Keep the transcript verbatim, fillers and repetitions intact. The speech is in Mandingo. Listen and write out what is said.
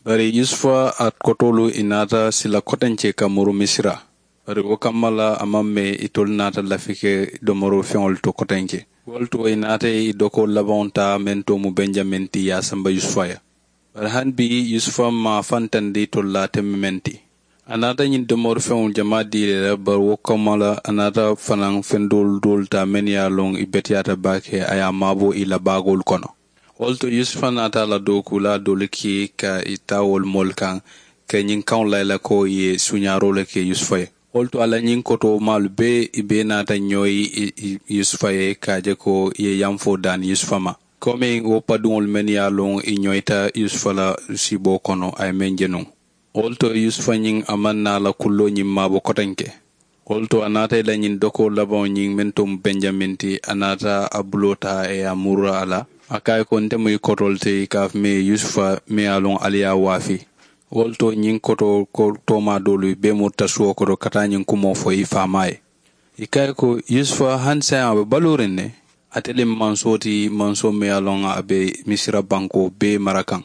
Bari yusufa a kotoolu ì naata sila kotenke ka muru misira. Bari wo kamma la a maŋ mee itolu naata lafi ke domoroo feŋolu to kotenke. Wo le to ì naata ì dokoo labaŋo taa meŋ to mu benjamin ti ì ye a samba yusufa ye. Bari hani bii yusufa maŋ a fantandi itolu la a teme meŋ ti. A naata ñiŋ domoroo feŋolu jamaa dii le la bari wo kamma la a naata fanaŋ feŋ doolu doolu taa mennu ye a loŋ ì beteyaata baake a ye a maaboo ì la baagoolu kono. Wo le to yusufa naata a la dookuulaa doolu kii ka ì taa wolu moolu kaŋ ka ñiŋ kaŋo layi la ko ì ye suuñaaroo le ke yusufa ye. Wo le to a la ñiŋ kotoomaalu bee ì bee naata ñooyi yusufa ye ka a je ko ì ye yanfoo daani yusufa ma. Komiŋ wo paduŋolu mennu ye a loŋ ì ñooyita yusufa la siiboo kono a ye meŋ je nuŋ. Wo le to yusufa ñiŋ a maŋ naa la kulloo ñiŋ maabo kotenke. Wo le to a naata ì la ñiŋ dokoo labaŋo ñiŋ meŋ to mu benjamin ti a naata a buloo taa ì ye a muru a la. A ko a ye ko nte mu ì kotoo le ti ì ka a fo mee yusufa meŋ ye a loŋ ali ye a waafi. Wo le to ñiŋ kotoo ko toomaa doolu ì bee murita suwo koto ka taa ñiŋ kumoo fo ì faamaa ye. Ì ko a ye ko yusufa hani saayiŋ a be baluuriŋ ne. Ate le mu mansoo ti mansoo meŋ ye a loŋ a be misira bankoo bee mara kaŋ.